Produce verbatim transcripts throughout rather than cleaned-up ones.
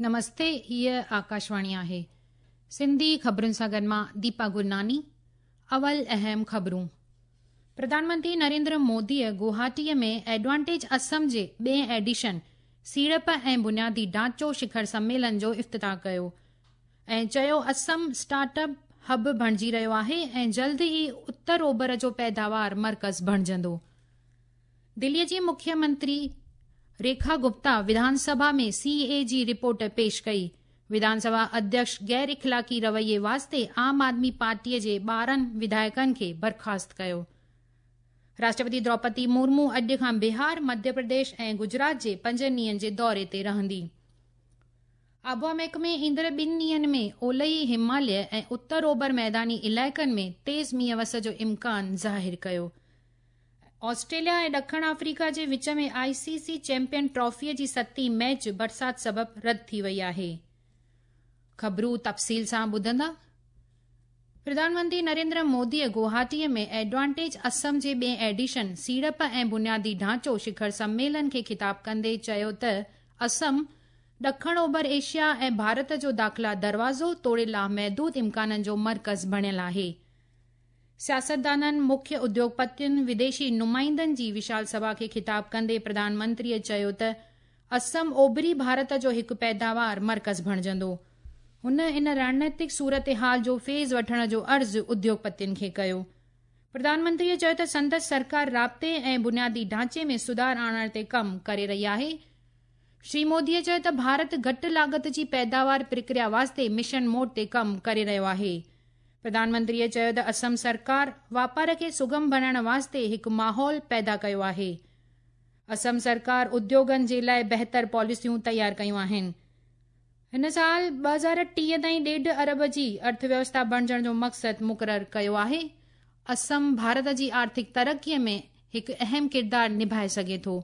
نمستي، هيء آڪاشواڻي آهي. سنڌي خبرن سان گڏ مان ديپا گرناني. اول اهم خبرون. پرڌان منتري نريندر موديء گوهاٽيء ۾ ايڊوانٽيج اسم جي ٻئين ايڊيشن سيڙپ ۽ بنيادي ڍانچو شکر سميلن جو افتتاح ڪيو ۽ چيو اسم اسٽارٽ اپ هب بڻجي رهيو آهي ۽ جلد ئي اتر اوڀر جو پيداوار مرڪز بڻجندو. دليء جي مکيه منتري ريکا گپتا وڌان سڀا ۾ سي اي جي رپورٽ پيش ڪئي. وڌان سڀا اڌيڪش غير اخلاقي رويي واسطي عام آدمي پارٽيء جي ٻارهن وڌايڪن کي برخاست ڪيو. راشٽرپتي دروپدي مرمو اڄ کان بهار، مڌيه پرديش ۽ گجرات جي پنج ڏينهن جي دوري تي رهندي. آبهوا محڪمي ايندڙ ٻن ڏينهن ۾ اولهي هماليه ۽ اتر اوڀر ميداني علائقن ۾ تيز مينهن وس جو امڪان ظاهر ڪيو. آسٽريليا ۽ ڏکڻ آفريڪا جي وچ ۾ آء سي سي چيمپيئن ٽرافيء جي ستين ميچ برسات سبب رد ٿي وئي آهي. خبرون تفصيل سان ٻڌندا. پرڌان منتري نريندر موديء گوهاٽيء ۾ ايڊوانٽيج اسم جي ٻئين ايڊيشن سيڙپ ۽ بنيادي ڍانچو شکر سميلن کي خطاب ڪندي چيو ته اسم ڏکڻ اوڀر ايشيا ۽ ڀارت جو داخلا دروازو توڙي لامحدود امڪانن جو مرڪز بڻيل آهي. سياستدانن، مکيه اديوگپتين، وديشي نمائندن جي وشال سڀا کي خطاب ڪندي پرڌان منتريء چيو ته اسم اوڀري ڀارت جو هڪ پيداوار مرڪز بڻجندو. هن ان رڻنيتڪ صورتحال جو فيض وٺڻ جو عرض اديوگپتين کي ڪيو. پرڌان منتريء چيو ته سندس سرڪار رابطي ۽ بنيادي ڍانچي ۾ سڌار آڻڻ تي ڪم ڪري رهي آهي. شري موديء چيو ته ڀارت گهٽ لاڳت جي پيداوار پرڪريا واسطي مشن موڊ تي ڪم ڪري رهيو آهي. پرڌان منتريء چيو ته اسم سرڪار واپار کي سگم بڻائڻ واسطي هڪ ماحول پيدا ڪيو آهي. اسم سرڪار اديوگن جي لاء بهتر پاليسيون تيار ڪيون آهن. هن سال ٻه هزار ٽيهه تائين ڏيڍ ارب جي ارٿويوسٿا بڻجڻ جو مقصد مقرر ڪيو آهي. اسم ڀارت جي آرٿڪ ترقيء ۾ هڪ اهم ڪردار نڀائي سگهي ٿو.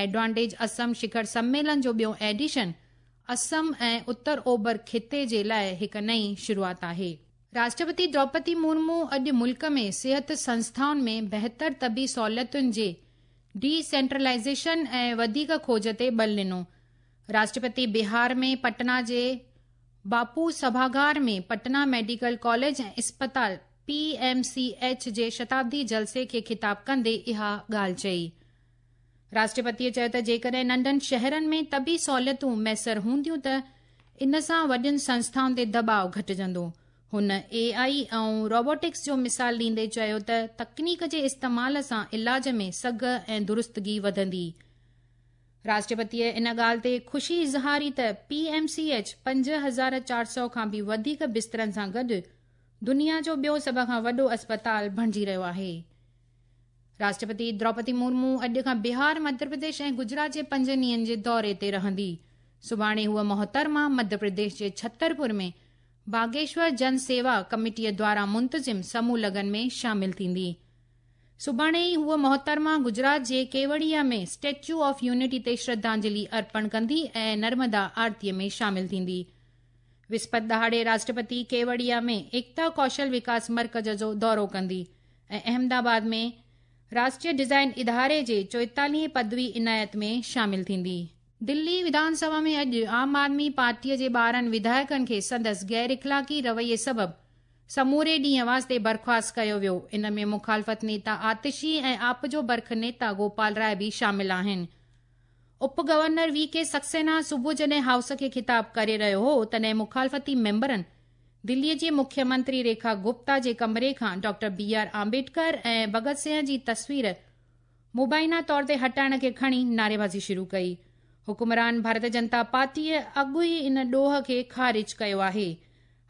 ايڊوانٽيج اسم شکر سميلن جو ٻيون ايڊيشن اسم ۽ اتر اوڀر خطي جي لاء هڪ نئين شروعات آهي. راشٽرپتي دروپدي مرمو اڄ ملڪ ۾ صحت سنسٿائن ۾ بهتر طبي سهولتن جي ڊي سينٽرلائيزيشن ۽ وڌيڪ کوج تي ٻل ڏنو. راشٽرپتي بهار ۾ پٽنا جي باپو سڀاگار ۾ پٽنا ميڊيڪل ڪاليج ۽ اسپتال پي ايم سي ايڇ جي شتابدي جلسي کي خطاب ڪندي اها ڳالهه چئي. راشٽرپتيء چيو ته جيڪڏهن ننڍن شهرن ۾ طبي سهولتون ميسر هونديون ته ان سان وڏين سنسٿائن تي دٻاءُ گهٽجندو. هن اي آئي ۽ روبوٽڪس جو مثال ڏيندي چيو ته تڪنيڪ جي استعمال سان علاج ۾ سگهه ۽ درستگي وڌندي. راشٽرپتيء ان ڳالهه تي خوشي اظهاري ته پي ايم سي ايڇ پنج هزار چار سؤ کان به وڌيڪ بسترن سان گڏ دنيا جو ٻيو سڀ کان وڏو اسپتال بڻجي رهيو آهي. راشٽرپتي دروپدي مرمو اڄ کان بهار، مڌيه پرديش ۽ گجرات جي پنج ڏينهن جي دوري تي رهندي. سڀاڻي هوء محترمه مڌيه پرديش جي ڇترپور ۾ باگيشور جن سيوا ڪميٽيء دوارا منتظم سموهه لگن ۾ شامل ٿيندي. سڀاڻي ئي هوء محترمه گجرات جي ڪيوڙيا ۾ اسٽيچو آف يونٽي تي شرڌانجلي ارپڻ ڪندي ۽ نرمدا آرتيء ۾ شامل ٿيندي. وسپت ڏهاڙي راشٽرپتي ڪيوڙيا ۾ ايڪتا ڪوشل وڪاس مرڪز جو دورو ڪندي ۽ احمدآباد ۾ راشٽريه ڊزائين اداري جي چوئيتاليهين پدوي عنايت ۾ شامل ٿيندي. دلي وڌان سڀا ۾ اڄ عام آدمي پارٽيء جي ٻارهن وڌايڪن کي سندس غير اخلاقي رويي سبب سموري ڏينهن واسطي برخاست ڪيو ويو. ان ۾ مخالفت نيتا آتشي ۽ آپ جو برک نيتا گوپال راءِ به شامل آهن. اپ گورنر وي ڪي سڪسينا صبح جڏهن هائوس کي خطاب ڪري رهيو هو تڏهن مخالفتي ميمبرن دليء جي مکيه منتري ريکا گپتا جي ڪمري کان ڊاڪٽر بي آر آمبيڊڪر ۽ ڀڳت سنگهه جي تصوير مبينا طور تي هٽائڻ کي کڻي نعريبازي شروع ڪئي. حڪمران ڀارتيه جنتا پارٽيء اڳ ئي ان ڏوهه کي خارج ڪيو آهي.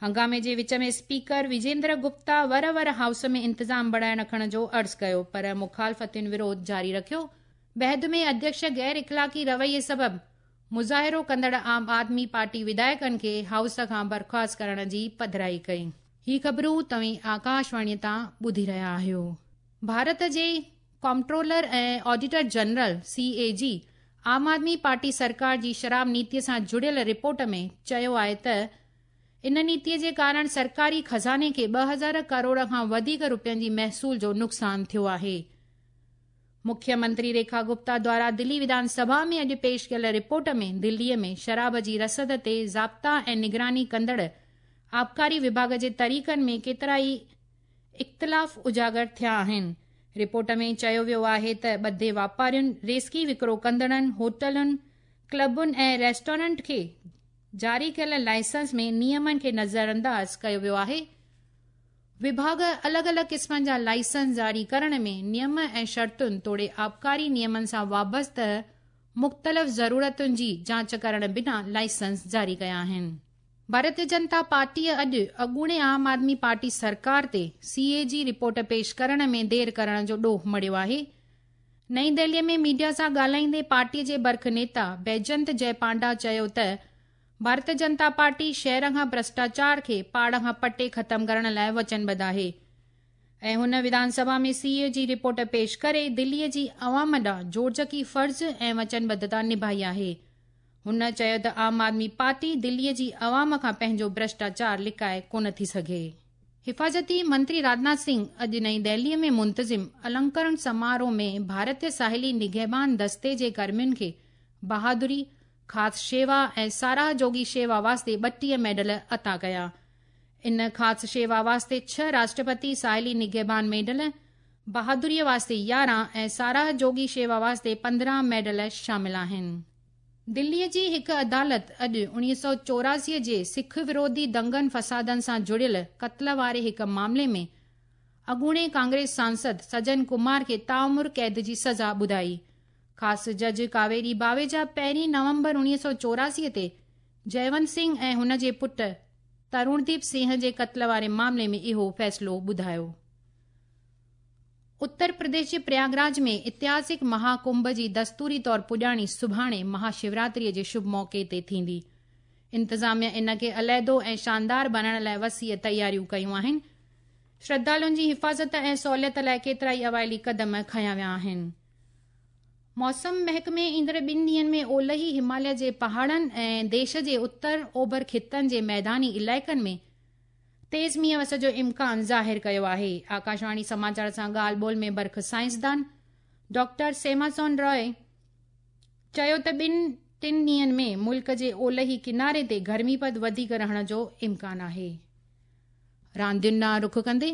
هنگامي جي وچ ۾ اسپيڪر وجيندر گپتا ور ور هائوس ۾ انتظام بڻائي رکڻ جو عرض ڪيو پر مخالفتين وروڌ جاري رکيو. بعد ۾ اڌيڪش غير اخلاقي رويي سبب مظاهرو ڪندڙ عام آدمي پارٽي وڌايڪن کي هائوس کان برخاست ڪرڻ جي پڌرائي ڪئي. هي خبرون توهين آڪاشواڻيء تان ٻڌي رهيا آهيو. ڀارت جي comptroller ۽ auditor general C A جي عام آدمي پارٽي سرڪار جي شراب نيتيء سان جڙيل رپورٽ ۾ چيو آهي ته ان نيتيء جي ڪارڻ سرڪاري خزاني کي ٻه هزار ڪروڙ کان وڌيڪ رپين جي محصول جو نقصان ٿيو آهي. मुख्य मंत्री रेखा गुप्ता द्वारा दिल्ली विधानसभा में अॼु पेश कयल रिपोर्ट में दिल्लीअ में शराब जी रसद ते ज़ाब्ता ऐं निगरानी कंदड़ आबकारी विभाग जे तरीक़नि में केतिरा ई इख़्तिलाफ़ उजागर थिया आहिनि। रिपोर्ट में चयो वियो आहे त ॿधे वापारियुनि, रेस्की विकिरो कंदड़नि, होटलुनि, क्लबुनि ऐं रेस्टोरेंट खे जारी कयल लाइसेंस में नियमनि खे नज़रअंदाज़ कयो वियो आहे। विभाग अलॻि अलॻि क़िस्मनि जा लाइसेंस जारी करण में नियम ऐं शर्तुनि तोड़े आबकारी नियमनि सां वाबस्ता मुख़्तलिफ़ ज़रूरतुनि जी जांच करण बिना लाइसेंस जारी कया आहिनि। भारतीय जनता पार्टीअ अॼु अॻूणे आम आदमी पार्टी सरकार ते सी ए जी रिपोर्ट पेश करण में देरि करण जो ॾोह मढ़ियो आहे। नई दिल्लीअ में मीडिया सां ॻाल्हाईंदे पार्टीअ जे बर्ख नेता बैजंत जय पांडा चयो त भारतीय जनता पार्टी शहर खां भ्रष्टाचार खे पाड़ खां पटे ख़तमु करण लाइ वचनबद्ध आहे ऐं हुन विधानसभा में सी ए जी रिपोर्ट पेश करे दिल्लीअ जी अवाम ॾांहुं जोड़जकी फ़र्ज़ ऐं वचनबद्धता निभाई आहे। हुन चयो त आम आदमी पार्टी दिल्लीअ जी अवाम खां पंहिंजो भ्रष्टाचार लिकाए कोन थी सघे। हिफाज़ती मंत्री राजनाथ सिंह अॼु नई दिल्लीअ में मुंतज़िम अलंकरण समारोह में भारतीय साहिली निगहबान दस्ते जे कर्मियुनि खे बहादुरी, ख़ासि शेवा ऐं साराह जोगी शेवा वास्ते ॿटीह मेडल अता कया। इन ख़ासि शेवा वास्ते छह राष्ट्रपति साहिली निगहबान मेडल, बहादुरीअ वास्ते यारहं ऐं साराह जोगी शेवा वास्ते पंद्रहं मेडल शामिल आहिनि। दिल्लीअ जी हिकु अदालत अॼु उणिवीह सौ चौरासीअ जे सिख विरोधी दंगनि फसादनि सां जुड़ियल क़त्ल वारे हिकु मामले में अॻूणे कांग्रेस सांसद सजन कुमार खे ताउम्र क़ैद जी सज़ा ॿुधाई। ख़ासि जज कावेरी बावेजा पहिरीं नवंबर उणिवीह सौ चौरासीअ ते जयवंत सिंह ऐं हुन जे पुट तरुणदीप सिंह जे क़त्ल वारे मामले में इहो फ़ैसिलो ॿुधायो। उत्तर प्रदेश जे प्रयागराज में ऐतिहासिक महाकुंभ जी दस्तूरी तौर पुॼाणी सुभाणे महाशिवरात्रीअ जे शुभ मौक़े ते थींदी। इंतिज़ामिया इन खे अलाहिदो ऐं शानदार बणाइण लाइ वसीअ तयारियूं कयूं आहिनि। श्रद्धालुनि जी हिफाज़त ऐं सहूलियत लाइ केतिरा ई अवाइली क़दम खयां विया आहिनि। मौसम महकमे ईंदड़ ॿिनि ॾींहंनि में ओलही हिमालय जे पहाड़नि ऐं देश जे उत्तर ओभर ख़ितनि जे मैदानी इलाइक़नि में तेज़ मींहं वस जो इम्कान ज़ाहिर कयो आहे। आकाशवाणी समाचार सां ॻाल्हि ॿोल में बर्ख साइंसदान डॉक्टर सेमासोन रॉय चयो त ॿिनि टिनि ॾींहंनि में मुल्क जे ओलही किनारे ते गर्मी पद वधीक रहण जो इम्कान आहे। रांदियुनि ॾांहुं रुख कंदे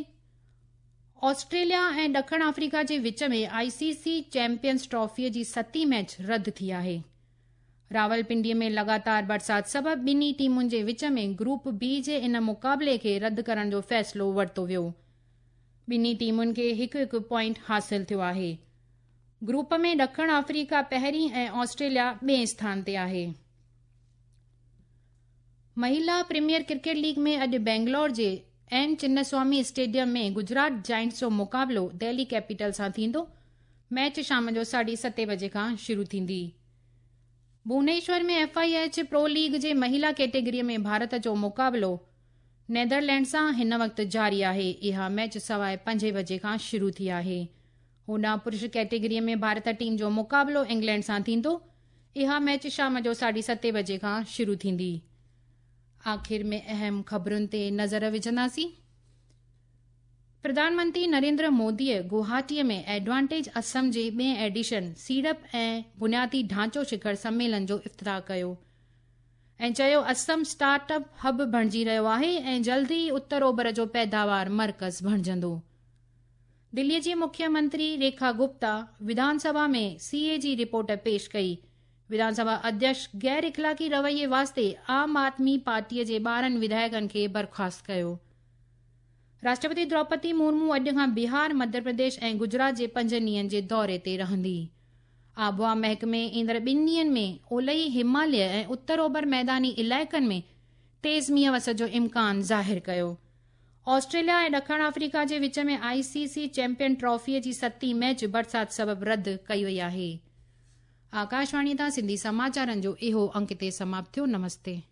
ऑस्ट्रेलिया ऐं ॾखिण अफ्रीका जे विच में आई सी सी चैंपियंस ट्रॉफीअ जी सती मैच रद्द थी आहे। रावलपिंडीअ में लगातार बरसाति सबबि ॿिन्ही टीमुनि जे विच में ग्रुप बी जे इन मुक़ाबले खे रद्द करण जो फ़ैसिलो वरितो वियो। ॿिन्ही टीमुनि खे हिकु हिकु पॉइंट हासिल थियो आहे। ग्रुप में ॾखिण अफ्रीका पहिरीं ऐं ऑस्ट्रेलिया ॿिए स्थान ते आहे। महिला प्रीमियर क्रिकेट लीग में अॼु बेंगलोर जे एन चिन्नस्वामी स्टेडियम में गुजरात जायंट्स जो मुक़ाबिलो दिल्ली कैपिटल सां थींदो। मैच शाम जो साढे सते बजे खां शुरू थींदी। भुवनेश्वर में F I H pro league जे महिला कैटेगरीअ में भारत जो मुक़ाबिलो नेदरलैंड सां हिन वक़्तु जारी आहे। इहा मैच सवाए पंजे बजे खां शुरू थी आहे। होॾां पुरुष कैटेगरीअ में भारत टीम जो मुक़ाबिलो इंग्लैंड सां थींदो। इहा मैच शाम जो साढे सते बजे खां शुरू थींदी। आख़िर में अहम ख़बरुनि ते नज़र विझंदासीं। प्रधानमंत्री नरेंद्र मोदीअ गुवाहाटीअ में एडवांटेज असम जे ॿिए एडिशन सीड़प ऐं बुनियादी ढांचो शिखर सम्मेलन जो इफ्तिताह कयो ऐं चयो असम स्टार्टअप हब बणिजी रहियो आहे ऐं जल्द ई उत्तर ओभर जो पैदावार मर्कज़ बणिजंदो। दिल्लीअ जी मुख्यमंत्री रेखा गुप्ता विधानसभा में सी ए जी रिपोर्ट पेश कई। विधानसभा अध्यक्ष गैर इख़लाक़ी रवैये वास्ते आम आदमी पार्टीअ जे ॿारहं विधायकनि खे बर्खास्त कयो। राष्ट्रपति द्रौपदी मुर्मू अॼु खां बिहार, मध्य प्रदेश ऐं गुजरात जे पंज ॾींहंनि जे दौरे ते रहंदी। आबहावा महकमे ईंदड़ ॿिनि ॾींहंनि में ओलही हिमालय ऐं उत्तर ओभर मैदानी इलाइक़नि में तेज़ मींहं वस जो इम्कान ज़ाहिर कयो। ऑस्ट्रेलिया ऐं ॾखिण अफ्रीका जे विच में आई सी सी चैंपियन ट्रॉफीअ जी सती मैच बरसाति सबबि रद्द कई वई आहे। आकाशवाणी तां सिंधी समाचारनि जो इहो अंक हिते समाप्त थियो। नमस्ते।